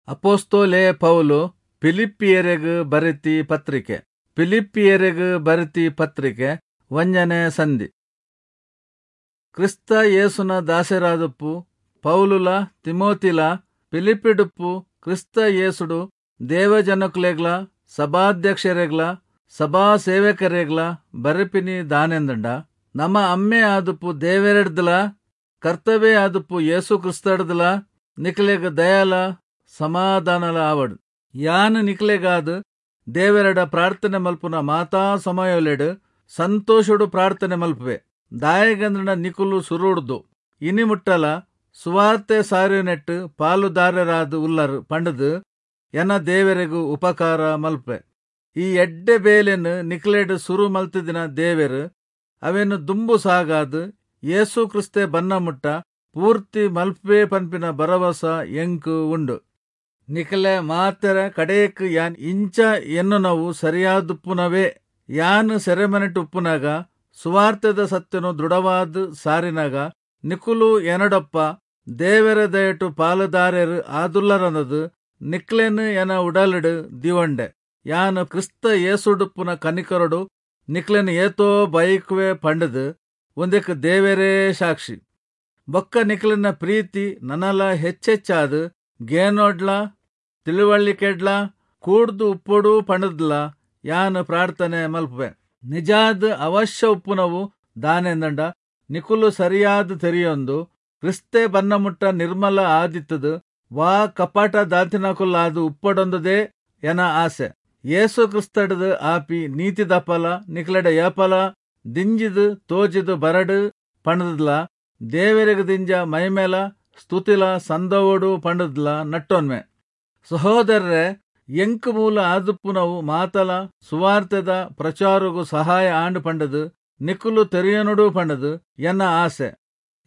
ಅಪೊಸ್ತಲೆ ಪೌಲು ಫಿಲಿಪ್ಪಿಯೆರೆಗ್ ಬರೆತಿ ಪತ್ರಿಕೆ. ಫಿಲಿಪ್ಪಿಯೆರೆಗ್ ಬರೆತಿ ಪತ್ರಿಕೆ ಒಂಜನೆ ಸಂಧಿ. ಕ್ರಿಸ್ತ ಯೇಸುನ ದಾಸೆರಾದುಪ್ಪು ಪೌಲುಲ ತಿಮೋತಿಲ ಫಿಲಿಪ್ಪಿಡುಪ್ಪು ಕ್ರಿಸ್ತ ಯೇಸುಡು ದೇವಜನಕುಲೆಗ್ಲ ಸಭಾಧ್ಯಕ್ಷೆರೆಗ್ಲ ಸಭಾ ಸೇವಕರೆಗ್ಲ ಬರೆಪಿನಿ ದಾನೆಂದುಂಡ, ನಮ ಅಮ್ಮೆ ಆದುಪ್ಪು ದೇವೆರೆಡ್ದಲ ಕರ್ತವ್ಯ ಆದುಪ್ಪು ಯೇಸು ಕ್ರಿಸ್ತಡ್ದಲ ನಿಕ್ಲೆಗ್ ದಯಲ ಸಮಾಧಾನಲ ಆವಡ್. ಯಾನ್ ನಿಕ್ಲೆಗಾದ್ ದೇವೆರೆಡ ಪ್ರಾರ್ಥನೆ ಮಲ್ಪುನ ಮಾತಾ ಸಮಯೊಲೆಡ್ ಸಂತೋಷೊಡು ಪ್ರಾರ್ಥನೆ ಮಲ್ಪುವೆ. ದಾಯೆಗಂದ್ಂಡ ನಿಕುಲು ಸುರುಡ್ದು ಇನಿ ಮುಟ್ಟಲ ಸುವಾರ್ತೆ ಸಾರಿಯುನೆಟ್ ಪಾಲುದಾರೆರಾದ್ ಉಲ್ಲರ್ ಪಂಡ್ದ್ ಎನ ದೇವೆರೆಗ್ ಉಪಕಾರ ಮಲ್ಪುವೆ. ಈ ಎಡ್ಡೆ ಬೇಲೆನ್ ನಿಕ್ಲೆಡ್ ಸುರು ಮಲ್ತಿದಿನ ದೇವೆರ್ ಅವೆನ್ ದುಂಬು ಸಾಗಾದ್ ಯೇಸು ಕ್ರಿಸ್ತೆ ಬನ್ನ ಮುಟ್ಟ ಪೂರ್ತಿ ಮಲ್ಪುವೆ ಪನ್ಪಿನ ಭರವಸ ಎಂಕ್ ಉಂಡು. ನಿಕಲೆ ಮಾತೆರ ಕಡೆಕ್ ಯಾನ್ ಇಂಚ ಎನ್ನುನವು ಸರಿಯಾದುಪ್ಪುನವೇ. ಯಾನ್ ಸೆರೆಮನೆಟ್ ಉಪ್ಪುನಗ ಸುವಾರ್ತೆದ ಸತ್ಯನು ದೃಢವಾದ್ ಸಾರಿನಗ ನಿಕುಲು ಎನಡೊಪ್ಪ ದೇವೆರ ದಯಟು ಪಾಲುದಾರೆರ್ ಆದುಲ್ಲರಂದದ್ ನಿಕ್ಲೆನ್ ಎನ ಉಡಲುಡು ದೀವೊಂಡೆ. ಯಾನ್ ಕ್ರಿಸ್ತ ಯೇಸುಡುಪ್ಪುನ ಕನಿಕರೊಡು ನಿಕ್ಲೆನ್ ಏತೋ ಬಯಕುವೆ ಪಂಡ್ದ್ ಉಂದೆಕ್ ದೇವೆರೇ ಸಾಕ್ಷಿ. ಬೊಕ್ಕ ನಿಕ್ಲೆನ ಪ್ರೀತಿ ನನಲ ಹೆಚ್ಚೆಚ್ಚಾದ್ ಗೇನೊಡ್ಲ ತಿಳುವಳಿಕೆಡ್ಲ ಕೂಡ್ದು ಉಪ್ಪೊಡು ಪಂಡ್ದ್ಲ ಯಾನ್ ಪ್ರಾರ್ಥನೆ ಮಲ್ಪುವೆ. ನಿಜಾದ್ ಅವಶ್ಯ ಉಪ್ಪುನವು ದಾನೆಂದಂಡ, ನಿಕುಲು ಸರಿಯಾದ್ ತೆರಿಯೊಂದು ಕ್ರಿಸ್ತೆ ಬನ್ನ ಮುಟ್ಟ ನಿರ್ಮಲ ಆದಿತ್ತುದು ವಾ ಕಪಟ ದಾಂತಿನಕುಲಾದ್ ಉಪ್ಪೊಡೊಂದುದೇ ಎನ ಆಸೆ. ಯೇಸು ಕ್ರಿಸ್ತಡ್ದ್ ಆಪಿ ನೀತಿದ ಫಲ ನಿಕ್ಲೆಡ ಏಪಲ ದಿಂಜಿದ್ ತೋಜಿದ್ ಬರಡ್ ಪಂಡ್ದ್ಲ ದೇವೆರೆಗ್ ದಿಂಜ ಮೈಮೆಲ ಸ್ತುತಿಲ ಸಂದವೊಡು ಪಂಡ್ದ್ಲ ನಟ್ಟೊನ್ವೆ. ಸಹೋದರರೇ, ಎಂಕ್ ಮೂಲ ಆದುಪ್ಪುನವು ಮಾತಲ ಸುವಾರ್ತೆದ ಪ್ರಚಾರೊಗು ಸಹಾಯ ಆಂಡ್ ಪಂಡ್ದ್ ನಿಕುಲು ತೆರಿಯೊನೊಡು ಪಂಡ್ದ್ ಎನ್ನ ಆಸೆ.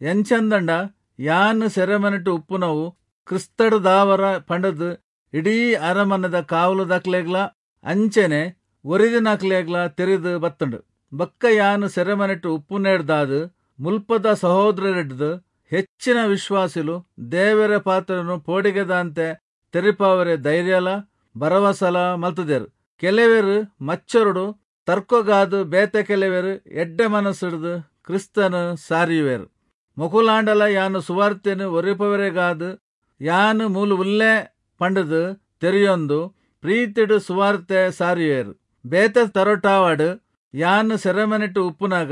ಎಂಚಂದಂಡ ಯಾನ್ ಸೆರೆಮನೆಟ್ ಉಪ್ಪುನವು ಕ್ರಿಸ್ತಡ್ದಾವರ ಪಂಡ್ದ್ ಇಡೀ ಅರಮನೆದ ಕಾವಲುದಕ್ಲೆಗ್ಲ ಅಂಚೆನೆ ಒರಿದಿನಕ್ಲೆಗ್ಲ ತೆರಿದ್ ಬತ್ತ್ಂಡ್. ಬೊಕ್ಕ ಯಾನ್ ಸೆರೆಮನೆಟ್ ಉಪ್ಪುನೆಡ್ದಾದ್ ಮುಲ್ಪದ ಸಹೋದರೆರೆಡ್ದ್ ಹೆಚ್ಚಿನ ವಿಶ್ವಾಸಿಲು ದೇವೆರೆ ಪಾತೆರೊನು ಪೋಡಿಗೆದಾಂತೆ ತೆರಿಪಾವರೆ ಧೈರ್ಯಲ ಭರವಸಲ ಮಲ್ತ್ದೆರ್. ಕೆಲವೆರ್ ಮಚ್ಚರೊಡು ತರ್ಕೊಗಾದ್ ಬೇತೆ ಕೆಲವೆರ್ ಎಡ್ಡೆ ಮನಸ್ಸುಡ್ದು ಕ್ರಿಸ್ತನ್ ಸಾರಿಯುವೆರ್. ಮೊಕುಲಾಂಡಲ ಯಾನ್ ಸುವಾರ್ತೆನ್ ಒರಿಪಾವರೆಗಾದ್ ಯಾನ್ ಮೂಲು ಉಲ್ಲೆ ಪಂಡ್ದ್ ತೆರಿಯೊಂದು ಪ್ರೀತಿಡ್ ಸುವಾರ್ತೆ ಸಾರಿಯುವೆರ್. ಬೇತೆ ತರೊಟಾವಡ್ ಯಾನ್ ಸೆರೆಮನೆಟ್ ಉಪ್ಪುನಗ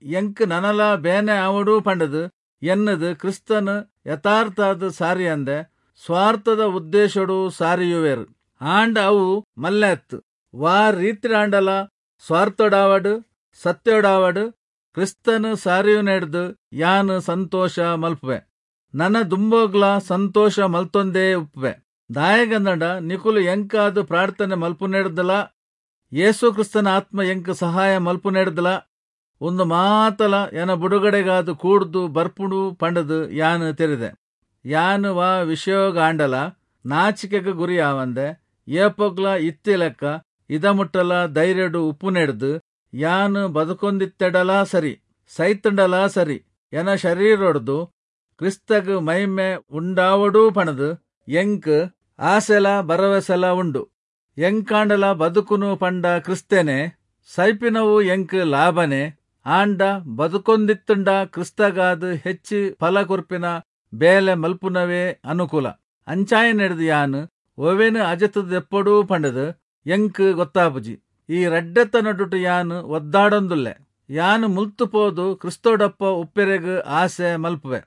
ಎಂಕ್ ನನಲ ಬೇನೆ ಆವೊಡು ಪಂಡ್ದ್ ಎನ್ನುದು ಕ್ರಿಸ್ತನ್ ಯಥಾರ್ಥಾದ್ ಸಾರಿಯಂದೆ ಸ್ವಾರ್ಥದ ಉದ್ದೇಶೊಡು ಸಾರಿಯುವೆರ್. ಆಂಡ ಅವು ಮಲ್ಲೆ ಅತ್ತ್. ವಾ ರೀತಿಡಾಂಡಲ ಸ್ವಾರ್ಥೊಡಾವಡ್ ಸತ್ಯೊಡಾವಡ್ ಕ್ರಿಸ್ತನ್ ಸಾರಿಯುನೆಡ್ದ್ ಯಾನ್ ಸಂತೋಷ ಮಲ್ಪುವೆ. ನನ ದುಂಬೊಗ್ಲ ಸಂತೋಷ ಮಲ್ತೊಂದೇ ಉಪ್ಪುವೆ. ದಾಯೆಗಂದ್ಂಡ ನಿಕುಲು ಎಂಕಾದ್ ಪ್ರಾರ್ಥನೆ ಮಲ್ಪುನೆಡ್ದ್ಲ ಯೇಸು ಕ್ರಿಸ್ತನ ಆತ್ಮ ಎಂಕ್ ಸಹಾಯ ಮಲ್ಪುನೆಡ್ದ್ಲ ಉಂದು ಮಾತಲ ಎನ ಬುಡುಗಡೆಗಾದ್ ಕೂಡ್ದು ಬರ್ಪುಂಡು ಪಂಡ್ದ್ ಯಾನ್ ತೆರಿದೆ. ಯಾನ್ ವಾ ವಿಷಯೊಗಾಂಡಲ ನಾಚಿಕೆಗ್ ಗುರಿ ಆವಂದೆ ಏಪೊಗ್ಲ ಇತ್ತಿ ಲೆಕ್ಕ ಇದಮುಟ್ಟಲ ಧೈರ್ಯೊಡು ಉಪ್ಪುನೆಡ್ದ್ ಯಾನ್ ಬದುಕೊಂದಿತ್ತೆಡಲಾ ಸರಿ ಸೈತ್ಂಡಲಾ ಸರಿ ಎನ ಶರೀರೊಡ್ದು ಕ್ರಿಸ್ತಗ್ ಮೈಮೆ ಉಂಡಾವೊಡು ಪಂಡ್ದ್ ಎಂಕ್ ಆಸೆಲ ಭರವಸೆಲ ಉಂಡು. ಎಂಕಾಂಡಲ ಬದುಕುನು ಪಂಡ ಕ್ರಿಸ್ತನೇ, ಸೈಪಿನವು ಎಂಕ್ ಲಾಭನೇ. ಆಂಡ ಬದುಕೊಂದಿತ್ತ್ಂಡ ಕ್ರಿಸ್ತಗಾದ್ ಹೆಚ್ಚಿ ಫಲ ಕೊರ್ಪಿನ ಬೇಲೆ ಮಲ್ಪುನವೇ ಅನುಕೂಲ. ಅಂಚಾಯಿನೆಡ್ದ್ ಯಾನ್ ಒವೆನ್ ಅಜತ್ದ್ ದೆಪ್ಪೊಡು ಪಂಡ್ದ್ ಎಂಕ್ ಗೊತ್ತಾಪುಜಿ. ಈ ರಡ್ಡೆತ ನಡುಟು ಯಾನ್ ಒದ್ದಾಡೊಂದುಲ್ಲೆ. ಯಾನ್ ಮುಲ್ತು ಪೋದು ಕ್ರಿಸ್ತಡೊಪ್ಪ ಉಪ್ಪೆರೆಗ್ ಆಸೆ ಮಲ್ಪುವೆ.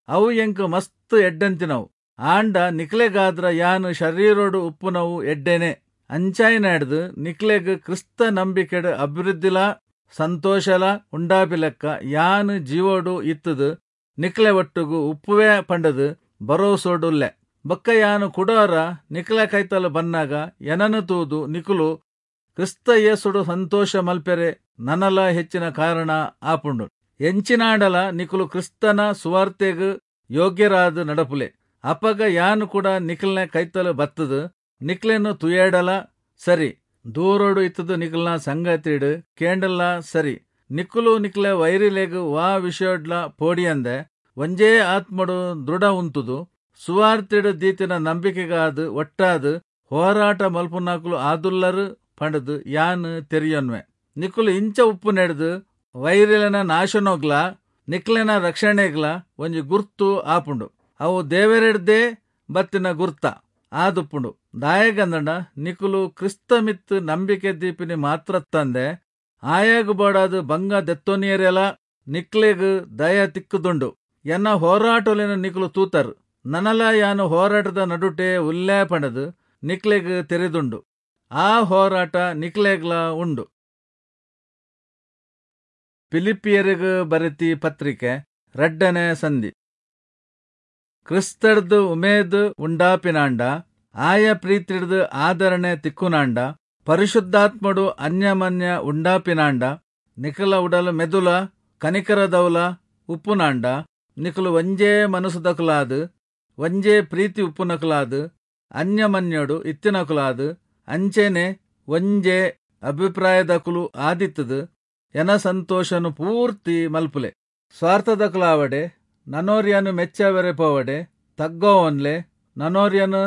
ಅವು ಎಂಕ್ ಮಸ್ತ್ ಎಡ್ಡೆಂತಿನವು. ಆಂಡ ನಿಕ್ಲೆಗಾದ್ರ ಯಾನ್ ಶರೀರೊಡು ಉಪ್ಪುನವು ಎಡ್ಡೆನೆ. ಅಂಚಾಯಿನೆಡ್ದ್ ನಿಕ್ಲೆಗ್ ಕ್ರಿಸ್ತ ನಂಬಿಕೆಡ್ ಅಭಿವೃದ್ಧಿಲಾ ಸಂತೋಷಲ ಉಂಡಾಪಿಲೆಕ್ಕ ಯಾನ್ ಜೀವೊಡು ಇತ್ತುದು ನಿಕ್ಲೆ ಒಟ್ಟುಗು ಉಪ್ಪುವೆ ಪಂಡ್ದ್ ಭರವಸೊಡುಲ್ಲೆ. ಬೊಕ್ಕ ಯಾನ್ ಕುಡೊರ ನಿಕ್ಲೆ ಕೈತಲ್ ಬನ್ನಗ ಎನನ್ ತೂದು ನಿಕುಲು ಕ್ರಿಸ್ತ ಯೇಸುಡು ಸಂತೋಷ ಮಲ್ಪೆರೆ ನನಲ ಹೆಚ್ಚಿನ ಕಾರಣ ಆಪುಂಡು. ಎಂಚಿನಾಂಡಲ ನಿಕುಲು ಕ್ರಿಸ್ತನ ಸುವಾರ್ತೆಗ್ ಯೋಗ್ಯರಾದ್ ನಡಪುಲೆ. ಅಪಗ ಯಾನ್ ಕೂಡ ನಿಕ್ಲೆನ ಕೈತಲ್ ಬತ್ತುದು ನಿಕ್ಲೆನ್ ತೂಯೆಡಲ ಸರಿ, ದೂರೊಡು ಇತ್ತುದು ನಿಕಲ್ನ ಸಂಗತಿಡ್ ಕೇಂಡಲ ಸರಿ, ನಿಕುಲು ನಿಕ್ಲೆ ವೈರಿಲೆಗ್ ವಾ ವಿಷಯೊಡ್ಲ ಪೋಡಿಯಂದೆ ಒಂಜೇ ಆತ್ಮೊಡು ದೃಢ ಉಂತುದು ಸುವಾರ್ತೆಡ್ ದೀತಿನ ನಂಬಿಕೆಗಾದ್ ಒಟ್ಟಾದ್ ಹೋರಾಟ ಮಲ್ಪುನಾಕುಲು ಆದುಲ್ಲರ್ ಪಂಡ್ದ್ ಯಾನ್ ತೆರಿಯೊನ್ವೆ. ನಿಕುಲು ಇಂಚ ಉಪ್ಪುನೆಡ್ದ್ ವೈರಿಲೆನ ನಾಶನೊಗ್ಲಾ ನಿಕ್ಲೆನ ರಕ್ಷಣೆಗ್ಲಾ ಒಂಜಿ ಗುರ್ತು ಆಪುಂಡು. ಅವು ದೇವೆರೆಡ್ದೇ ಬತ್ತಿನ ಗುರ್ತ ಆದುಪ್ಪುಂಡು. ದಾಯೆಗಂದ್ಂಡ ನಿಕುಲು ಕ್ರಿಸ್ತ ಮಿತ್ತ್ ನಂಬಿಕೆ ದೀಪಿನಿ ಮಾತ್ರತ್ತಂದೆ ಆಯಗ್ ಬೋಡಾದ್ ಭಂಗ ದೆತ್ತೊನಿಯೆರೆಲಾ ನಿಕ್ಲೆಗ್ ದಯ ತಿಕ್ಕುದುಂಡು. ಎನ್ನ ಹೋರಾಟೊಲೆನ್ ನಿಕುಲು ತೂತರ್. ನನಲಾ ಯಾನ್ ಹೋರಾಟದ ನಡುಟೇ ಉಲ್ಲೆ ಪಂಡ್ದ್ ನಿಕ್ಲೆಗ್ ತೆರಿದುಂಡು. ಆ ಹೋರಾಟ ನಿಕ್ಲೆಗ್ಲಾ ಉಂಡು. ಫಿಲಿಪ್ಪಿಯೆರೆಗ್ ಬರೆತಿ ಪತ್ರಿಕೆ ರಡ್ಡನೆ ಸಂಧಿ. ಕ್ರಿಸ್ತಡ್ದ್ ಉಮೇದ್ ಉಂಡಾಪಿನಾಂಡ, ಆಯ ಪ್ರೀತಿಡ್ದ್ ಆದರಣೆ ತಿಕ್ಕುನಾಂಡ, ಪರಿಶುದ್ಧಾತ್ಮೊಡು ಅನ್ಯಮನ್ಯ ಉಂಡಾಪಿನಾಂಡ, ನಿಕಲ ಉಡಲ್ ಮೆದುಲ ಕನಿಕರದೌಲ ಉಪ್ಪುನಾಂಡ, ನಿಕುಲು ಒಂಜೇ ಮನಸ್ಸುದಕುಲಾದ್, ಒಂಜೇ ಪ್ರೀತಿ ಉಪ್ಪುನಕುಲಾದ್, ಅನ್ಯಮನ್ಯೊಡು ಇತ್ತಿನಕುಲಾದ್, ಅಂಚೆನೆ ಒಂಜೇ ಅಭಿಪ್ರಾಯದಕುಲು ಆದಿತ್ತುದು ಎನ ಸಂತೋಷನು ಪೂರ್ತಿ ಮಲ್ಪುಲೆ. ಸ್ವಾರ್ಥದಕುಲಾವಡೆ, ನನೊರಿಯನು ಮೆಚ್ಚವೆರೆ ಪೋವಡೆ, ತಗ್ಗೋವೊನ್ಲೆ, ನನೊರಿಯನು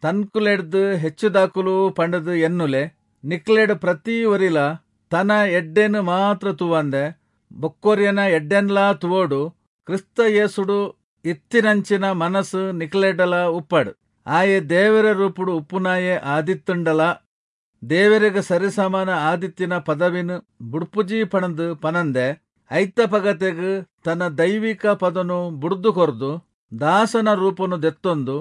ತನ್ಕುಲೆಡ್ದ್ ಹೆಚ್ಚುದಾಕುಲು ಪಂಡ್ದ್ ಎನ್ನುಲೆ. ನಿಕ್ಲೆಡ್ ಪ್ರತಿ ಒರಿಲ ತನ ಎಡ್ಡೆನ್ ಮಾತ್ರ ತೂವಂದೆ ಬೊಕ್ಕೊರಿಯನ ಎಡ್ಡೆನ್ಲಾ ತೂವೊಡು. ಕ್ರಿಸ್ತ ಯೇಸುಡು ಇತ್ತಿನಂಚಿನ ಮನಸ್ಸು ನಿಕ್ಲೆಡಲ ಉಪ್ಪಡ್. ಆಯೆ ದೇವೆರೆ ರೂಪುಡು ಉಪ್ಪುನಾಯೆ ಆದಿತ್ತುಂಡಲಾ ದೇವೆರೆಗ್ ಸರಿಸಮಾನ ಆದಿತ್ತಿನ ಪದವಿನ್ ಬುಡ್ಪುಜಿ ಪಂಡ್ದ್ ಪನಂದೆ ಐತ ಪಗತೆಗ್ ತನ್ನ ದೈವಿಕ ಪದನು ಬುಡ್ದು ಕೊರ್ದು ದಾಸನ ರೂಪನು ದೆತ್ತೊಂದು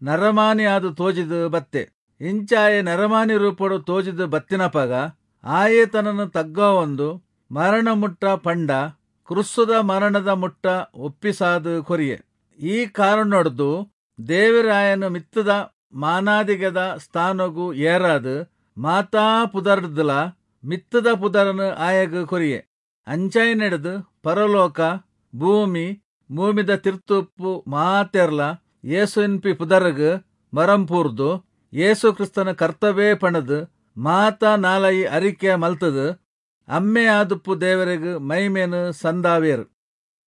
ನರಮಾನಿ ಆದ್ ತೋಜಿದ್ ಬತ್ತೆ. ಇಂಚಾಯೆ ನರಮಾನಿ ರೂಪೊಡು ತೋಜಿದ್ ಬತ್ತಿನಪಗ ಆಯೆ ತನನ್ ತಗ್ಗಾವೊಂದು ಮರಣ ಮುಟ್ಟ ಪಂಡ ಕ್ರುಸ್ಸುದ ಮರಣದ ಮುಟ್ಟ ಒಪ್ಪಿಸಾದ್ ಕೊರಿಯೆ. ಈ ಕಾರಣೊಡ್ದು ದೇವೆರಾಯನ ಮಿತ್ತದ ಮಾನಾದಿಗೆದ ಸ್ಥಾನೊಗು ಏರಾದ್ ಮಾತಾ ಪುದರ್ಡ್ದ್ಲ ಮಿತ್ತದ ಪುದರನು ಆಯಗ್ ಕೊರಿಯೆ. ಅಂಚಾಯಿನೆಡ್ದ್ ಪರಲೋಕ, ಭೂಮಿ, ಭೂಮಿದ ತಿರ್ತುಪ್ಪು ಮಾತೆರ್ಲ ಯೇಸುವಿನ್ಪಿ ಪುದರ್ಗ್ ಮರಂಪೂರ್ದು ಯೇಸು ಕ್ರಿಸ್ತನ ಕರ್ತವೇ ಪಂಡ್ದ್ ಮಾತ ನಾಲಯಿ ಅರಿಕೆ ಮಲ್ತುದು ಅಮ್ಮೆ ಆದುಪ್ಪು ದೇವರೆಗ್ ಮೈಮೇನ್ ಸಂದಾವೇರ್.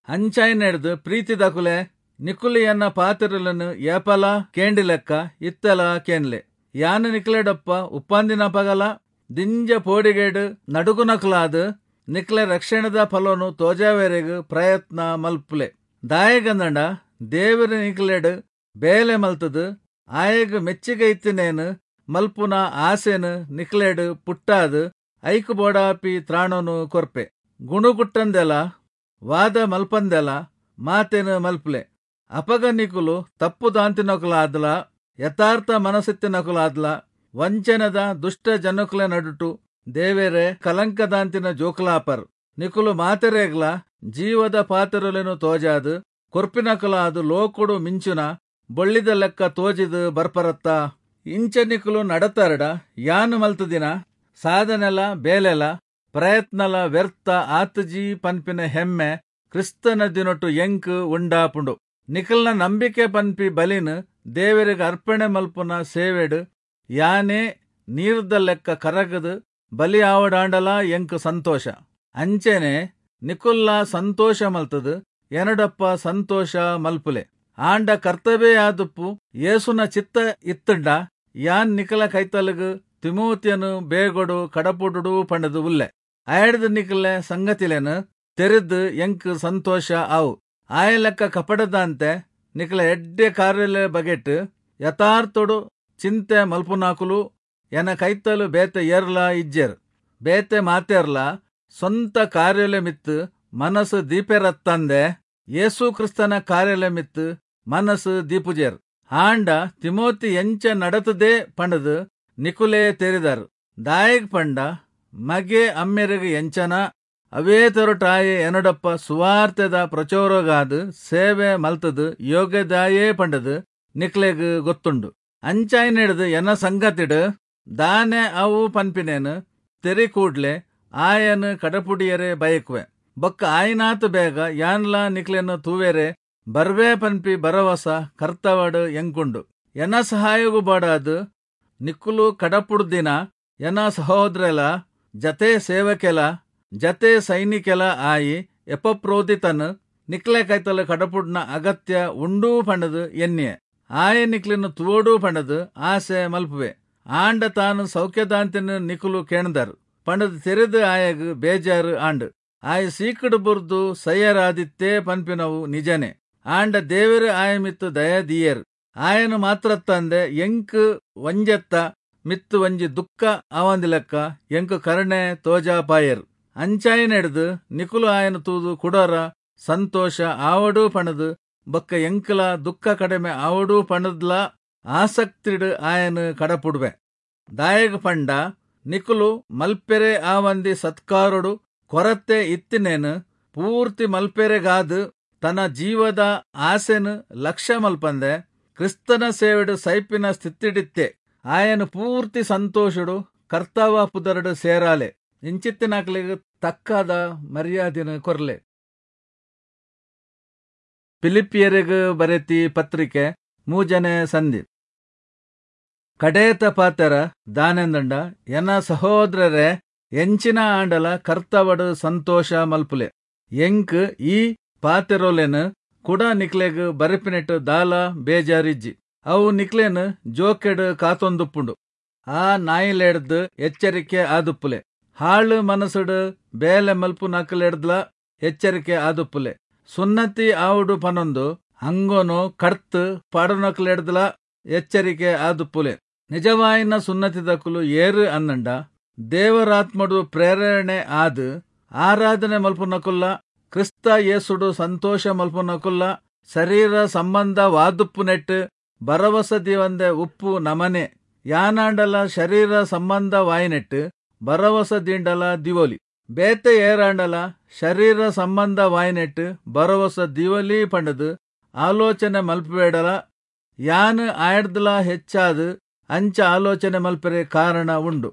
ಅಂಚಾಯಿನೆಡ್ದ್ ಪ್ರೀತಿದಕುಲೆ, ನಿಕುಲು ಎನ್ನ ಪಾತೆರೊಲೆನ್ ಏಪಲಾ ಕೇಂಡಿಲೆಕ್ಕ ಇತ್ತೆಲಾ ಕೇನ್ಲೆ. ಯಾನ್ ನಿಕ್ಲೆಡೊಪ್ಪ ಉಪ್ಪಂದಿನಪಗಲ ದಿಂಜ ಪೋಡಿಗೆಡ್ ನಡುಗುನಕುಲಾದ್ ನಿಕ್ಲೆ ರಕ್ಷಣೆದ ಫಲೊನು ತೋಜಾವೆರೆಗ್ ಪ್ರಯತ್ನ ಮಲ್ಪುಲೆ. ದಾಯೆಗಂದ್ಂಡ ದೇವೆರ್ ನಿಕ್ಲೆಡ್ ಬೇಲೆ ಮಲ್ತುದು ಆಯಗ್ ಮೆಚ್ಚಿಗೆ ಇತ್ತಿನೇನ್ ಮಲ್ಪುನ ಆಸೆನ್ ನಿಕ್ಲೆಡ್ ಪುಟ್ಟಾದ್ ಐಕ್ ಬೋಡಾಪಿ ತ್ರಾಣೊನು ಕೊರ್ಪೆ. ಗುಣುಗುಟ್ಟಂದೆಲ ವಾದ ಮಲ್ಪಂದೆಲ ಮಾತೆನ್ ಮಲ್ಪುಲೆ. ಅಪಗ ನಿಕುಲು ತಪ್ಪುದಾಂತಿನಕುಲಾದ್ಲ ಯಥಾರ್ಥ ಮನಸ್ಸಿತ್ತಿನಕುಲಾದ್ಲ ವಂಚನೆದ ದುಷ್ಟ ಜನಕುಲೆ ನಡುಟು ದೇವೆರೆ ಕಲಂಕದಾಂತಿನ ಜೋಕುಲಾಪರ್. ನಿಕುಲು ಮಾತೆರೆಗ್ಲ ಜೀವದ ಪಾತೆರೊಲೆನ್ ತೋಜಾದ್ ಕೊರ್ಪಿನಕುಲಾದ್ ಲೋಕೊಡು ಮಿಂಚುನ ಬೊಳ್ಳಿದ ಲೆಕ್ಕ ತೋಜಿದ್ ಬರ್ಪರತ್ತ. ಇಂಚ ನಿಕುಲು ನಡತರಡ ಯಾನ್ ಮಲ್ತುದಿನ ಸಾಧನೆಲ ಬೇಲೆಲ ಪ್ರಯತ್ನಲ ವ್ಯರ್ಥ ಆತುಜಿ ಪನ್ಪಿನ ಹೆಮ್ಮೆ ಕ್ರಿಸ್ತನ ದಿನೊಟು ಎಂಕ್ ಉಂಡಾಪುಂಡು. ನಿಕಲ್ನ ನಂಬಿಕೆ ಪನ್ಪಿ ಬಲಿನ್ ದೇವೆರೆಗ್ ಅರ್ಪಣೆ ಮಲ್ಪುನ ಸೇವೆಡ್ ಯಾನೇ ನೀರ್ದ ಲೆಕ್ಕ ಕರಗದ್ ಬಲಿ ಆವಡಾಂಡಲಾ ಎಂಕ್ ಸಂತೋಷ. ಅಂಚೆನೆ ನಿಕುಲ್ಲಾ ಸಂತೋಷ ಮಲ್ತುದು ಎನಡೊಪ್ಪ ಸಂತೋಷ ಮಲ್ಪುಲೆ. ಆಂಡ ಕರ್ತವೇ ಆದುಪ್ಪು ಯೇಸುನ ಚಿತ್ತ ಇತ್ತುಂಡ ಯಾನ್ ನಿಕಲ ಕೈತಲುಗು ತಿಮೋತಿಯನು ಬೇಗೊಡು ಕಡಪುಡುಡು ಪಂಡ್ದ್ ಉಲ್ಲೆ. ಆಯಡ್ದ್ ನಿಕಲೆ ಸಂಗತಿಲೆನ್ ತೆರಿದ್ ಎಂಕ್ ಸಂತೋಷ ಆವು. ಆಯ ಲೆಕ್ಕ ಕಪಟದಾಂತೆ ನಿಕಲ ಎಡ್ಡೆ ಕಾರ್ಯಲೆ ಬಗೆಟ್ ಯಥಾರ್ಥೊಡು ಚಿಂತೆ ಮಲ್ಪುನಾಕುಲು ಎನ ಕೈತಲು ಬೇತೆ ಏರ್ಲಾ ಇಜ್ಜೆರ್. ಬೇತೆ ಮಾತೆರ್ಲಾ ಸ್ವಂತ ಕಾರ್ಯಲೆ ಮಿತ್ತ್ ಮನಸ್ಸು ದೀಪೆರತ್ತಂದೆ ಯೇಸು ಕ್ರಿಸ್ತನ ಕಾರ್ಯಲೆ ಮಿತ್ತ್ ಮನಸ್ಸು ದೀಪುಜೆರ್. ಆಂಡ ತಿಮೋತಿ ಎಂಚ ನಡತುದೆ ಪಂಡ್ದ್ ನಿಕುಲೇ ತೆರಿದರ್. ದಾಯೆಗ್ ಪಂಡ ಮಗೆ ಅಮ್ಮೆರೆಗ್ ಎಂಚನ ಅವೇ ತರೊಟಾಯೆ ಎನಡೊಪ್ಪ ಸುವಾರ್ತೆದ ಪ್ರಚೋರಗಾದ್ ಸೇವೆ ಮಲ್ತುದು ಯೋಗ್ಯದಾಯೇ ಪಂಡ್ದ್ ನಿಕ್ಲೆಗ್ ಗೊತ್ತುಂಡು. ಅಂಚಾಯಿನೆಡ್ದ್ ಎನ ಸಂಗತಿಡ್ ದಾನೆ ಅವು ಪನ್ಪಿನೇನ್ ತೆರಿ ಕೂಡ್ಲೆ ಆಯನ್ ಕಡಪುಡಿಯೆರೆ ಬಯಕುವೆ. ಬೊಕ್ಕ ಆಯಿನಾತ್ ಬೇಗ ಯಾನ್ಲಾ ನಿಕ್ಲೆನ್ ತೂವೆರೆ ಬರ್ವೆ ಪನ್ಪಿ ಭರವಸ ಕರ್ತವಡ್ ಎಂಕುಂಡು. ಎನ ಸಹಾಯೊಗು ಬೋಡಾದ್ ನಿಕುಲು ಕಡಪುಡ್ದಿನ ಎನ ಸಹೋದ್ರೆಲ ಜತೆ ಸೇವಕೆಲ ಜತೆ ಸೈನಿಕೆಲ ಆಯಿ ಎಪಫ್ರೋದಿತನ್ ನಿಕ್ಲೆ ಕೈತಲ್ ಕಡಪುಡ್ನ ಅಗತ್ಯ ಉಂಡು ಪಂಡ್ದ್ ಎನ್ನಿಯೆ. ಆಯೆ ನಿಕ್ಲೆನ್ ತೂವೊಡು ಪಂಡದ್ ಆಸೆ ಮಲ್ಪುವೆ. ಆಂಡ ತಾನು ಸೌಖ್ಯದಾಂತಿನ ನಿಕುಲು ಕೇಂದರ್ ಪಂಡದ್ ತೆರೆದು ಆಯಗ್ ಬೇಜಾರು ಆಂಡ್. ಆಯ ಸೀಕಡು ಬುರ್ದು ಸಯ್ಯರಾದಿತ್ತೇ ಪನ್ಪಿನವು ನಿಜನೆ. ಆಂಡ ದೇವೆರ್ ಆಯ ಮಿತ್ತು ದಯ ದೀಯೆರ್. ಆಯನ ಮಾತ್ರತ್ತಂದೆ ಎಂಕ್ ಒಂಜೆತ್ತ ಮಿತ್ತು ಒಂಜಿ ದುಃಖ ಆವಂದಿಲೆಕ್ಕ ಎಂಕ್ ಕರುಣೆ ತೋಜಾಪಾಯೆರ್. ಅಂಚಾಯಿನೆಡ್ದ್ ನಿಕುಲು ಆಯನ ತೂದು ಕುಡೊರ ಸಂತೋಷ ಆವಡು ಪಣದು ಬೊಕ್ಕ ಎಂಕಲ ದುಃಖ ಕಡಿಮೆ ಆವಡು ಪಣದ್ಲ ಆಸಕ್ತಿಡ್ ಆಯನ ಕಡಪುಡುವೆ. ದಾಯೆಗ್ ಪಂಡ ನಿಕುಲು ಮಲ್ಪೆರೆ ಆವಂದಿ ಸತ್ಕಾರೊಡು ಕೊರತೆ ಇತ್ತಿನೇನು ಪೂರ್ತಿ ಮಲ್ಪೆರೆಗಾದ್ ತನ್ನ ಜೀವದ ಆಸೆನು ಲಕ್ಷ್ಯ ಮಲ್ಪಂದೆ ಕ್ರಿಸ್ತನ ಸೇವೆಡು ಸೈಪಿನ ಸ್ಥಿತಿಡಿತ್ತೆ. ಆಯನ ಪೂರ್ತಿ ಸಂತೋಷಡು ಕರ್ತವ ಪುದರಡು ಸೇರಾಲೆ. ಇಂಚಿತ್ತಿನಾಕ್ಲೆಗ್ ತಕ್ಕಾದ ಮರ್ಯಾದಿನ ಕೊರ್ಲೆ. ಫಿಲಿಪ್ಪಿಯರಿಗೆ ಬರೆತಿ ಪತ್ರಿಕೆ 3ನೇ ಸಂಧಿ. ಕಡೇತ ಪಾತೆರ ದಾನೆಂದಂಡ, ಎನ ಸಹೋದರರೇ, ಎಂಚಿನ ಆಂಡಲ ಕರ್ತವಡು ಸಂತೋಷ ಮಲ್ಪುಲೆ. ಎಂಕ್ ಈ ಪಾತೆರೊಲೆನ್ ಕೂಡ ನಿಕ್ಲೆಗ್ ಬರೆಪಿನೆಟ್ ದಾಲ ಬೇಜಾರಿಜ್ಜಿ. ಅವು ನಿಕ್ಲೆನ್ ಜೋಕೆಡ್ ಕಾತೊಂದುಪ್ಪುಂಡು. ಆ ನಾಯಿಲೆಡ್ದ್ ಎಚ್ಚರಿಕೆ ಆದುಪ್ಪುಲೆ. ಹಾಳು ಮನಸ್ಸುಡು ಬೇಲೆ ಮಲ್ಪುನಕಲೆಡ್ದ್ಲ ಎಚ್ಚರಿಕೆ ಆದುಪ್ಪುಲೆ. ಸುನ್ನತಿ ಆವುಡು ಪನೊಂದು ಅಂಗೊನು ಕಡ್ತ್ ಪಾಡುನಕಲೆಡ್ದ್ಲ ಎಚ್ಚರಿಕೆ ಆದುಪ್ಪುಲೆ. ನಿಜವಾಯಿನ ಸುನ್ನತಿದಕುಲು ಏರು ಅನ್ನಂಡ ದೇವರಾತ್ಮಡು ಪ್ರೇರಣೆ ಆದ್ ಆರಾಧನೆ ಮಲ್ಪುನಕುಲ್ಲ, ಕ್ರಿಸ್ತ ಯೇಸುಡು ಸಂತೋಷ ಮಲ್ಪುನಕುಲ್ಲ, ಶರೀರ ಸಂಬಂಧವಾದುಪ್ಪುನೆಟ್ ಭರವಸ ದೀವಂದೆ ಉಪ್ಪು ನಮನೆ. ಯಾನಾಂಡಲ ಶರೀರ ಸಂಬಂಧವಾಯಿನೆಟ್ ಭರವಸ ದಿಂಡಲ ದಿವೊಲಿ. ಬೇತೆ ಏರಾಂಡಲ ಶರೀರ ಸಂಬಂಧವಾಯಿನೆಟ್ ಭರವಸ ದಿವೊಲಿ ಪಂಡದು ಆಲೋಚನೆ ಮಲ್ಪಬೇಡಲ. ಯಾನ್ ಆಯಡ್ದಲ ಹೆಚ್ಚಾದ್ ಅಂಚ ಆಲೋಚನೆ ಮಲ್ಪೆರೆ ಕಾರಣ ಉಂಡು.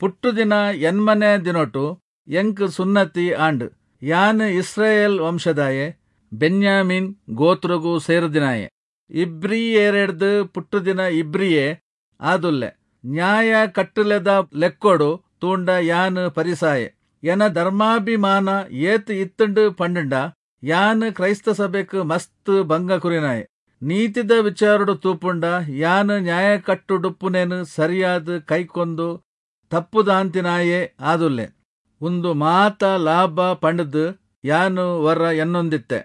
ಪುಟ್ಟುದಿನ 8ನೇ ದಿನೊಟು ಎಂಕ್ ಸುನ್ನತಿ ಆಂಡ್. ಯಾನ್ ಇಸ್ರಾಯೇಲ್ ವಂಶದಾಯೆ, ಬೆನ್ಯಾಮೀನ್ ಗೋತ್ರಗು ಸೇರುದಿನಾಯೆ, ಇಬ್ರಿಯೇರೆಡ್ದ್ ಪುಟ್ಟುದಿನ ಇಬ್ರಿಯೇ ಆದುಲ್ಲೆ. ನ್ಯಾಯ ಕಟ್ಟಲೆದ ಲೆಕ್ಕೊಡು ತೂಂಡ ಯಾನ್ ಪರಿಸಾಯೆ. ಎನ ಧರ್ಮಾಭಿಮಾನ ಏತ್ ಇತ್ತುಂಡು ಪಂಡುಂಡ ಯಾನ್ ಕ್ರೈಸ್ತ ಸಭೆಕ್ ಮಸ್ತ್ ಭಂಗ ಕುರಿನಾಯೆ. ನೀತಿದ ವಿಚಾರಡು ತೂಪುಂಡ ಯಾನ್ ನ್ಯಾಯ ಕಟ್ಟುಡುಪ್ಪುನೇನು ಸರಿಯಾದ ಕೈಕೊಂದು ತಪ್ಪುದಾಂತಿನಾಯೇ ಆದುಲ್ಲೆ. ಉಂದು ಮಾತ ಲಾಭ ಪಂಡದು ಯಾನು ವರ ಎನ್ನೊಂದಿತ್ತೆ.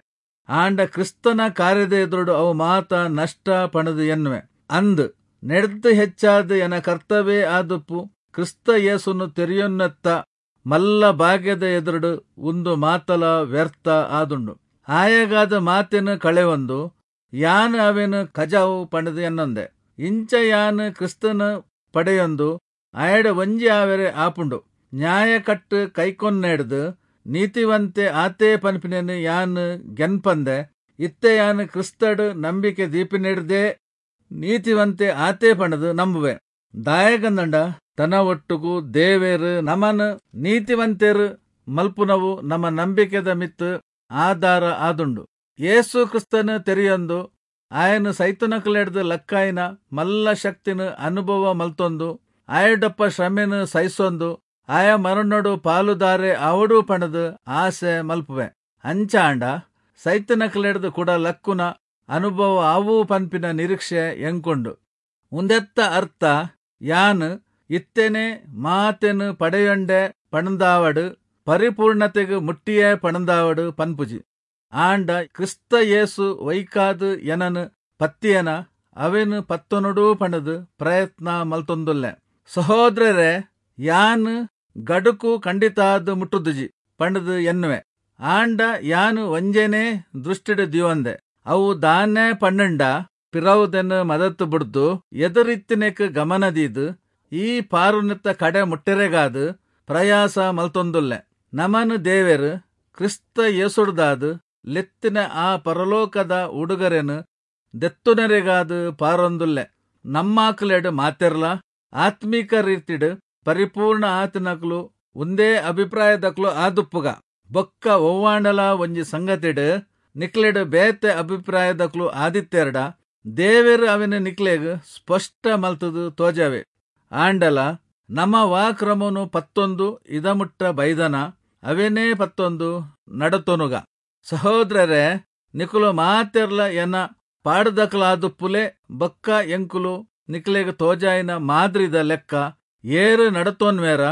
ಆಂಡ ಕ್ರಿಸ್ತನ ಕಾರ್ಯದ ಎದುರುಡು ಅವು ಮಾತ ನಷ್ಟ ಪಣದು ಎನ್ನುವೆ. ಅಂದ್ ನೆಡ್ದು ಹೆಚ್ಚಾದ ಎನ ಕರ್ತವ್ಯ ಆದುಪ್ಪು ಕ್ರಿಸ್ತ ಯೇಸುನು ತೆರೆಯೊನ್ನತ್ತ ಮಲ್ಲ ಭಾಗ್ಯದ ಎದುರುಡು ಉಂದು ಮಾತಲ ವ್ಯರ್ಥ ಆದುಂಡು. ಆಯಗಾದ ಮಾತೆನು ಕಳೆವೊಂದು ಯಾನ್ ಅವೆನು ಕಜಾವು ಪಂಡದು ಎನ್ನೊಂದೆ. ಇಂಚ ಯಾನ್ ಕ್ರಿಸ್ತನ ಪಡೆಯೊಂದು ಆಯಡ ಒಂಜಿ ಆವೆರೆ ಆಪುಂಡು. ನ್ಯಾಯ ಕಟ್ಟು ಕೈಕೊನ್ನೆಡ್ದು ನೀತಿವಂತೆ ಆತೇ ಪನ್ಪಿನೇನು ಯಾನ್ ಗೆನ್ಪಂದೆ. ಇತ್ತೆ ಯಾನ್ ಕ್ರಿಸ್ತಡ್ ನಂಬಿಕೆ ದೀಪಿನೆಡ್ದೇ ನೀತಿವಂತೆ ಆತೇ ಪಂಡದು ನಂಬುವೆ. ದಾಯಗಂದಂಡ ತನ ಒಟ್ಟುಗು ದೇವೇರು ನಮನ್ ನೀತಿವಂತೆರು ಮಲ್ಪುನವು ನಮ್ಮ ನಂಬಿಕೆದ ಮಿತ್ತು ಆಧಾರ ಆದುಂಡು. ಯೇಸು ಕ್ರಿಸ್ತನ ತೆರೆಯೊಂದು ಆಯನು ಸೈತನಕಲೆಡ್ದು ಲಕ್ಕಾಯಿನ ಮಲ್ಲ ಶಕ್ತಿನ ಅನುಭವ ಮಲ್ತೊಂದು ಆಯಡಪ್ಪ ಶ್ರಮೆನು ಸಹಿಸೊಂದು ಆಯ ಮರಣೋಡು ಪಾಲುದಾರೆ ಆವಡು ಪಣದು ಆಸೆ ಮಲ್ಪುವೆ. ಅಂಚಾಂಡ ಸೈತನಕಲೆಡ್ದು ಕೂಡ ಲಕ್ಕುನ ಅನುಭವ ಆವು ಪನ್ಪಿನ ನಿರೀಕ್ಷೆ ಎಂಕೊಂಡು. ಉಂದೆತ್ತ ಅರ್ಥ ಯಾನ್ ಇತ್ತೇನೆ ಮಾತೆನು ಪಡೆಯೊಂಡೆ ಪಣಂದಾವಡು ಪರಿಪೂರ್ಣತೆಗೆ ಮುಟ್ಟಿಯೇ ಪಣಂದಾವಡು ಪನ್ಪುಜಿ. ಆಂಡ ಕ್ರಿಸ್ತ ಯೇಸು ವೈಕಾದು ಎನನು ಪತ್ತಿಯನ ಅವೆನು ಪತ್ತೊನುಡು ಪಣದು ಪ್ರಯತ್ನ ಮಲ್ತೊಂದುಲ್ಲೆ. ಸಹೋದರರೇ, ಯಾನ್ ಗಡುಕು ಖಂಡಿತಾದ್ ಮುಟ್ಟುದುಜಿ ಪಂಡದು ಎನ್ನುವೆ. ಆಂಡ ಯಾನು ಒಂಜೇನೆ ದೃಷ್ಟಿಡು ದಿವಂದೆ. ಅವು ದಾನೆ ಪಣ್ಣಂಡ ಪಿರವುದನ್ನು ಮದತ್ತು ಬಿಡ್ದು ಎದುರಿತ್ತಿನೆಕ್ ಗಮನ ದೀದು ಈ ಪಾರುನೆತ್ತ ಕಡೆ ಮುಟ್ಟೆರೆಗಾದು ಪ್ರಯಾಸ ಮಲ್ತೊಂದುಲ್ಲೆ. ನಮನು ದೇವೆರು ಕ್ರಿಸ್ತ ಯೇಸುಡ್ದಾದು ಲೆತ್ತಿನ ಆ ಪರಲೋಕದ ಉಡುಗರೆನು ದೆತ್ತುನರೆಗಾದು ಪಾರೊಂದುಲ್ಲೆ. ನಮ್ಮಾಕಲೆಡು ಮಾತೆರ್ಲ ಆತ್ಮೀಕ ರೀತಿಡು ಪರಿಪೂರ್ಣ ಆತನಕ್ಲು ಒಂದೇ ಅಭಿಪ್ರಾಯದಕ್ಲು ಆದುಪ್ಪುಗ. ಬೊಕ್ಕ ಒವ್ವಾಂಡಲ ಒಂಜಿ ಸಂಗತಿಡು ನಿಕ್ಲೆಡು ಬೇತೆ ಅಭಿಪ್ರಾಯದಕ್ಲು ಆದಿತ್ತೆರಡ ದೇವೆರು ಅವಿನ ನಿಕ್ಲೆಗ್ ಸ್ಪಷ್ಟ ಮಲ್ತದು ತೋಜಾವೆ. ಆಂಡಲ ನಮ ವಾ ಕ್ರಮನು ಪತ್ತೊಂದು ಇದಮುಟ್ಟ ಬೈದನ ಅವೇನೇ ಪತ್ತೊಂದು ನಡತೊನುಗ. ಸಹೋದರರೇ, ನಿಕುಲು ಮಾತೆರ್ಲ ಎನ ಪಾಡದಕಲಾದುಪ್ಪುಲೆ ಬೊಕ್ಕ ಎಂಕುಲು ನಿಕ್ಲೆಗ್ ತೋಜಾಯಿನ ಮಾದ್ರಿದ ಲೆಕ್ಕ ಏರು ನಡತೋನ್ವೇರ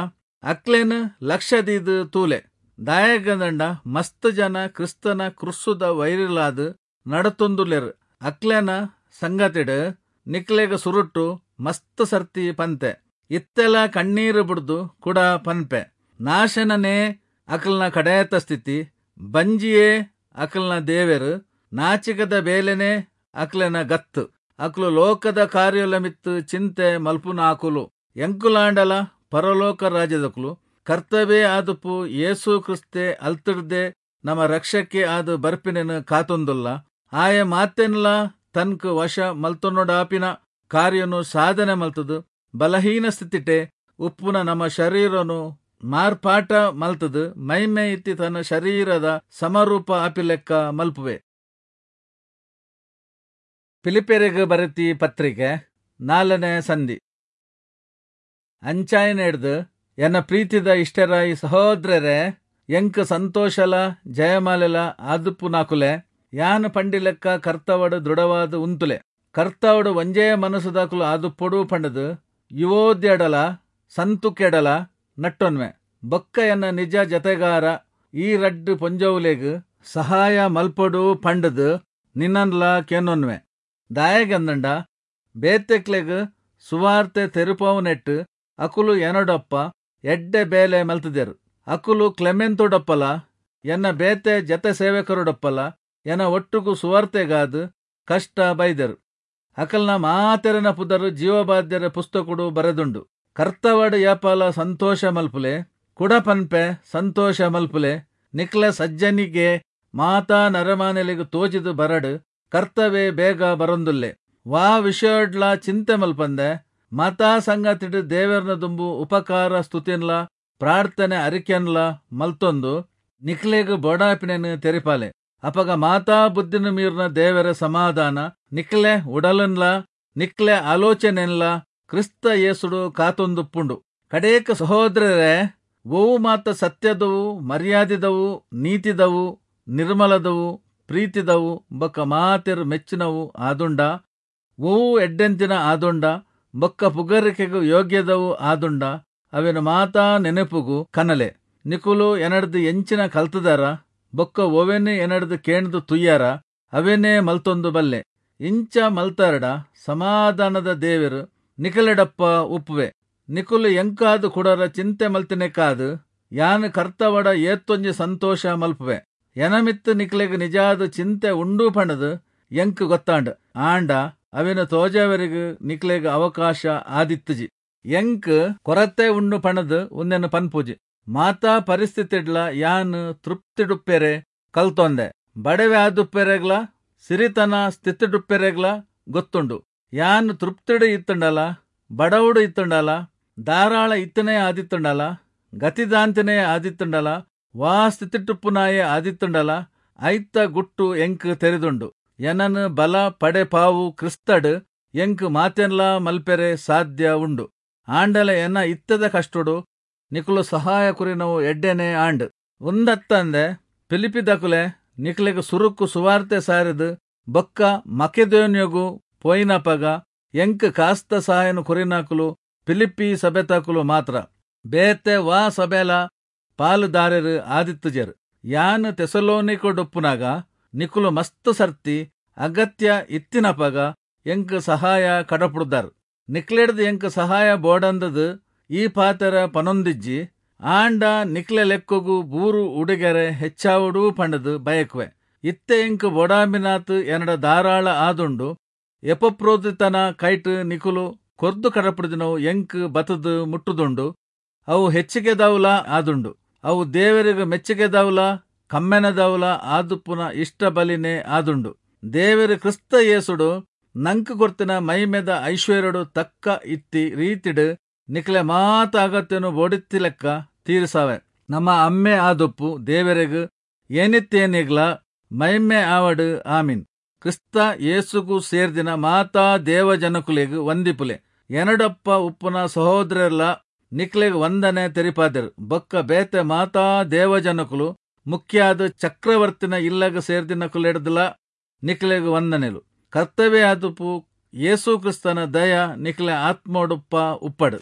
ಅಕ್ಲೆನ್ ಲಕ್ಷದೀದ್ ತೂಲೆ. ದಾಯೆಗಂದಂಡ ಮಸ್ತ್ ಜನ ಕ್ರಿಸ್ತನ ಕ್ರುಸ್ಸುದ ವೈರಿಲಾದ್ ನಡತೊಂದುಲ್ಲೆರ್. ಅಕ್ಲೆನ ಸಂಗತಿಡ್ ನಿಕ್ಲೆಗ್ ಸುರುಟ್ಟು ಮಸ್ತ್ ಸರ್ತಿ ಪಂತೆ, ಇತ್ತೆಲ ಕಣ್ಣೀರು ಬುಡ್ದು ಕುಡ ಪನ್ಪೆ. ನಾಶನನೇ ಅಕಲ್ನ ಕಡೇತ ಸ್ಥಿತಿ, ಬಂಜಿಯೇ ಅಕಲ್ನ ದೇವೆರು, ನಾಚಿಕದ ಬೇಲೆನೇ ಅಕ್ಲೆನ ಗತ್ತು. ಅಕ್ಲು ಲೋಕದ ಕಾರ್ಯೊಲ ಮಿತ್ತು ಚಿಂತೆ ಮಲ್ಪುನಾಕುಲು. ಎಂಕುಲಾಂಡಲ ಪರಲೋಕ ರಾಜ್ಯದಕುಲು. ಕರ್ತವೇ ಆದುಪ್ಪು ಯೇಸು ಕ್ರಿಸ್ತೆ ಅಲ್ತಿಡ್ದೆ ನಮ ರಕ್ಷಕ್ಕೆ ಆದ್ ಬರ್ಪಿನೆನ್ ಕಾತೊಂದುಲ್ಲ. ಆಯ ಮಾತೆನ್ಲ ತನ್ಕ್ ವಶ ಮಲ್ತೊನೊಡಾಪಿನ ಕಾರ್ಯನು ಸಾಧನೆ ಮಲ್ತದು ಬಲಹೀನ ಸ್ಥಿತಿಟೆ ಉಪ್ಪುನ ನಮ್ಮ ಶರೀರನು ಮಾರ್ಪಾಟ ಮಲ್ತದು ಮೈಮೆ ಇತ್ತಿ ತನ್ನ ಶರೀರದ ಸಮರೂಪ ಆಪಿಲೆಕ್ಕ ಮಲ್ಪುವೆ. ಫಿಲಿಪ್ಪಿಯೆರೆಗ್ ಬರೆತಿ ಪತ್ರಿಕೆ 4ನೇ ಸಂಧಿ. ಅಂಚಾಯಿನೆಡ್ದ್ ಎನ್ನ ಪ್ರೀತಿದ ಇಷ್ಟರಾಯಿ ಸಹೋದರರೇ, ಎಂಕ್ ಸಂತೋಷಲ ಜಯಮಾಲೆಲ ಆದುಪ್ಪುನಾಕುಲೆ, ಯಾನ್ ಪಂಡಿಲೆಕ್ಕ ಕರ್ತವಡು ದೃಢವಾದ ಉಂತುಲೆ. ಕರ್ತವಡು ಒಂಜೇ ಮನಸ್ಸುದಾಕುಲು ಆದುಪ್ಪೊಡು ಪಂಡದು ಯುವೋದ್ಯಡಲ ಸಂತುಕೆಡಲ ನಟ್ಟೊನ್ವೆ. ಬೊಕ್ಕ ಎನ್ನ ನಿಜ ಜತೆಗಾರ ಈ ರಡ್ಡ್ ಪೊಂಜೊವುಲೆಗ್ ಸಹಾಯ ಮಲ್ಪೊಡು ಪಂಡದು ನಿನ್ನನ್ಲ ಕೇನೊನ್ವೆ. ದಾಯೆಗಂದಂಡ ಬೇತೆಕ್ಲೆಗ್ ಸುವಾರ್ತೆ ತೆರಿಪಾವುನೆಟ್ ಅಕುಲು ಎನಡೊಪ್ಪ ಎಡ್ಡೆ ಬೇಲೆ ಮಲ್ತುದೆರ್. ಅಕುಲು ಕ್ಲೆಮೆಂತುಡೊಪ್ಪಲ ಎನ್ನ ಬೇತೆ ಜತೆ ಸೇವಕರುಡೊಪ್ಪಲ ಎನ ಒಟ್ಟುಗು ಸುವಾರ್ತೆಗಾದ್ ಕಷ್ಟ ಬೈದೆರ್. ಅಕಲ್ನ ಮಾತೆರನ ಪುದರು ಜೀವಬಾಧ್ಯರ ಪುಸ್ತಕಡು ಬರೆದುಂಡು. ಕರ್ತವಡು ಯಾಪಾಲ ಸಂತೋಷ ಮಲ್ಪುಲೆ, ಕುಡ ಪನ್ಪೆ ಸಂತೋಷ ಮಲ್ಪುಲೆ. ನಿಕ್ಲ ಸಜ್ಜನಿಗೆ ಮಾತಾ ನರಮಾನೆಲೆಗ್ ತೋಜಿದು ಬರಡು. ಕರ್ತವೇ ಬೇಗ ಬರೊಂದುಲ್ಲೆ. ವಾ ವಿಷಯಡ್ಲ ಚಿಂತೆ ಮಲ್ಪಂದೆ ಮಾತಾ ಸಂಗತಿಡ್ ದೇವೆರ್ನ ದುಂಬು ಉಪಕಾರ ಸ್ತುತಿನ್ಲ ಪ್ರಾರ್ಥನೆ ಅರಿಕೆನ್ಲ ಮಲ್ತೊಂದು ನಿಕ್ಲೆಗ್ ಬೋಡಾಪಿನೆನ್ ತೆರಿಪಾಲೆ. ಅಪಗ ಮಾತಾ ಬುದ್ಧಿನ ಮೀರ್ನ ದೇವರ ಸಮಾಧಾನ ನಿಕ್ಲೆ ಉಡಲನ್ಲ ನಿಕ್ಲೆ ಆಲೋಚನೆನ್ಲ ಕ್ರಿಸ್ತ ಯೇಸುಡು ಕಾತೊಂದುಪ್ಪುಂಡು. ಕಡೇಕ ಸಹೋದರರೇ, ಒವು ಮಾತ ಸತ್ಯದವು, ಮರ್ಯಾದಿದವು, ನೀತಿದವು, ನಿರ್ಮಲದವು, ಪ್ರೀತಿದವು ಬೊಕ್ಕ ಮಾತೆರು ಮೆಚ್ಚಿನವು ಆದುಂಡ, ಒವು ಎಡ್ಡೆಂತಿನ ಆದುಂಡ, ಬೊಕ್ಕ ಪುಗರಿಕೆಗು ಯೋಗ್ಯದವು ಆದುಂಡ, ಅವೆನು ಮಾತಾ ನೆನಪುಗು ಕನಲೆ. ನಿಕುಲು ಎನಡ್ದು ಎಂಚಿನ ಕಲ್ತದಾರ ಬೊಕ್ಕ ಒವೆನೆ ಎನಡ್ದು ಕೇಣ್ದು ತುಯ್ಯಾರ ಅವೆನೇ ಮಲ್ತೊಂದು ಬಲ್ಲೆ. ಇಂಚ ಮಲ್ತಾರಡ ಸಮಾಧಾನದ ದೇವೆರು ನಿಕಲೆಡಪ್ಪ ಉಪ್ಪುವೆ. ನಿಕುಲು ಎಂಕಾದು ಕುಡರ ಚಿಂತೆ ಮಲ್ತಿನೆಕಾದು ಯಾನ್ ಕರ್ತವಡ ಏತ್ತೊಂಜಿ ಸಂತೋಷ ಮಲ್ಪುವೆ. ಎನಮಿತ್ತು ನಿಕ್ಲೆಗ್ ನಿಜಾದ ಚಿಂತೆ ಉಂಡು ಪಂಡದು ಎಂಕ್ ಗೊತ್ತಾಂಡ್. ಆಂಡ ಅವೆನು ತೋಜಾವರಿಗ್ ನಿಕ್ಲೆಗ್ ಅವಕಾಶ ಆದಿತ್ತುಜಿ. ಎಂಕ್ ಕೊರತೆ ಉಂಡು ಪಣದು ಉಂದೆನು ಪನ್ಪುಜಿ. ಮಾತಾ ಪರಿಸ್ಥಿತಿಡ್ಲ ಯಾನ್ ತೃಪ್ತಿಡುಪ್ಪೆರೆ ಕಲ್ತೊಂದೆ. ಬಡವೆ ಆದುಪ್ಪೆರೆಗ್ಲ ಸಿರಿತನ ಸ್ಥಿತಿಡುಪ್ಪೆರೆಗ್ಲ ಗೊತ್ತುಂಡು. ಯಾನ್ ತೃಪ್ತಿಡು ಇತ್ತುಂಡಲ ಬಡವುಡು ಇತ್ತುಂಡಲ ಧಾರಾಳ ಇತ್ತನೇ ಆದಿತ್ತುಂಡಲ ಗತಿದಾಂತಿನೇ ಆದಿತ್ತುಂಡಲ ವಾ ಸ್ಥಿತಿಟುಪ್ಪುನಾಯೇ ಆದಿತ್ತುಂಡಲ ಐತ ಗುಟ್ಟು ಎಂಕ್ ತೆರಿದುಂಡು. ಎನನ್ ಬಲ ಪಡೆಪಾವು ಕ್ರಿಸ್ತಡ್ ಎಂಕ್ ಮಾತೆನ್ಲ ಮಲ್ಪೆರೆ ಸಾಧ್ಯ ಉಂಡು. ಆಂಡಲ ಎನ್ನ ಇತ್ತದ ಕಷ್ಟೊಡು ನಿಕುಲು ಸಹಾಯ ಕುರಿನವು ಎಡ್ಡೆನೆ ಆಂಡ್. ಉಂದತ್ತಂದೆ ಫಿಲಿಪ್ಪಿದಕುಲೆ ನಿಕ್ಲೆಗ್ ಸುರುಕ್ಕು ಸುವಾರ್ತೆ ಸಾರಿದು ಬೊಕ್ಕ ಮಕೆದೋನ್ಯಗು ಪೋಯಿನಪಗ ಎಂಕ್ ಕಾಸ್ತ ಸಹಾಯನು ಕುರಿನಾಕುಲು ಫಿಲಿಪ್ಪಿ ಸಭೆತಾಕುಲು ಮಾತ್ರ. ಬೇತೆ ವಾ ಸಭೆಲ ಪಾಲುದಾರೆರು ಆದಿತ್ತುಜೆರ್. ಯಾನ್ ತೆಸಲೋನಿಕೊಡುಪ್ಪುನಾಗ ನಿಕುಲು ಮಸ್ತ್ ಸರ್ತಿ ಅಗತ್ಯ ಇತ್ತಿನಪಗ ಎಂಕ್ ಸಹಾಯ ಕಡಪುಡ್ದಾರ್. ನಿಕ್ಲೆಡ್ದು ಎಂಕ್ ಸಹಾಯ ಬೋಡಂದದು ಈ ಪಾತೆರ ಪನೊಂದಿಜ್ಜಿ. ಆಂಡ ನಿಕ್ಲೆ ಲೆಕ್ಕೊಗು ಬೂರು ಉಡುಗೆರೆ ಹೆಚ್ಚಾವುಡು ಪಂಡದು ಬಯಕುವೆ. ಇತ್ತೆ ಎಂಕ್ ಬೋಡಾಂಬಿನಾತ್ ಎನ್ನಡ ಧಾರಾಳ ಆದುಂಡು. ಎಪಪ್ರೋದಿತನ ಕೈಟ್ ನಿಕುಲು ಕೊರ್ದು ಕಡಪುಡ್ದಿನವು ಎಂಕ್ ಬತದು ಮುಟ್ಟುದುಂಡು. ಅವು ಹೆಚ್ಚಿಗೆದವುಲ ಆದುಂಡು. ಅವು ದೇವರಿಗೆ ಮೆಚ್ಚುಗೆದವುಲ ಕಮ್ಮೆನದವುಲ ಆದುಪ್ಪುನ ಇಷ್ಟ ಬಲಿನೇ ಆದುಂಡು. ದೇವರು ಕ್ರಿಸ್ತ ಯೇಸುಡು ನಂಕ್ ಕೊರ್ತಿನ ಮೈಮೆದ ಐಶ್ವರ್ಯಡು ತಕ್ಕ ಇತ್ತಿ ರೀತಿಡು ನಿಕ್ಲೆ ಮಾತ ಅಗತ್ಯನು ಬೋಡಿತ್ತಿ ಲೆಕ್ಕ ತೀರಿಸಾವೆ. ನಮ್ಮ ಅಮ್ಮೆ ಆದುಪ್ಪು ದೇವರಿಗ್ ಏನಿತ್ತೇನಿಗ್ಲ ಮೈಮೆ ಆವಡು. ಆಮೀನ್. ಕ್ರಿಸ್ತ ಯೇಸುಗು ಸೇರ್ದಿನ ಮಾತಾ ದೇವಜನಕುಲೆಗ್ ವಂದಿಪುಲೆ. ಎನಡಪ್ಪ ಉಪ್ಪುನ ಸಹೋದರೆಲ್ಲ ನಿಕ್ಲೆಗ್ ವಂದನೆ ತೆರಿಪಾದೆರು. ಬೊಕ್ಕ ಬೇತೆ ಮಾತಾ ದೇವಜನಕುಲು ಮುಖ್ಯಾದ ಚಕ್ರವರ್ತಿನ ಇಲ್ಲಗ ಸೇರ್ದಿನಕುಲೆಡ್ದಲ ನಿಕ್ಲೆಗ್ ವಂದನೆಲು. ಕರ್ತವೆ ಆದುಪ್ಪು ಯೇಸು ಕ್ರಿಸ್ತನ ದಯ ನಿಕ್ಲೆ ಆತ್ಮೊಡುಪ್ಪ ಉಪ್ಪಡ್.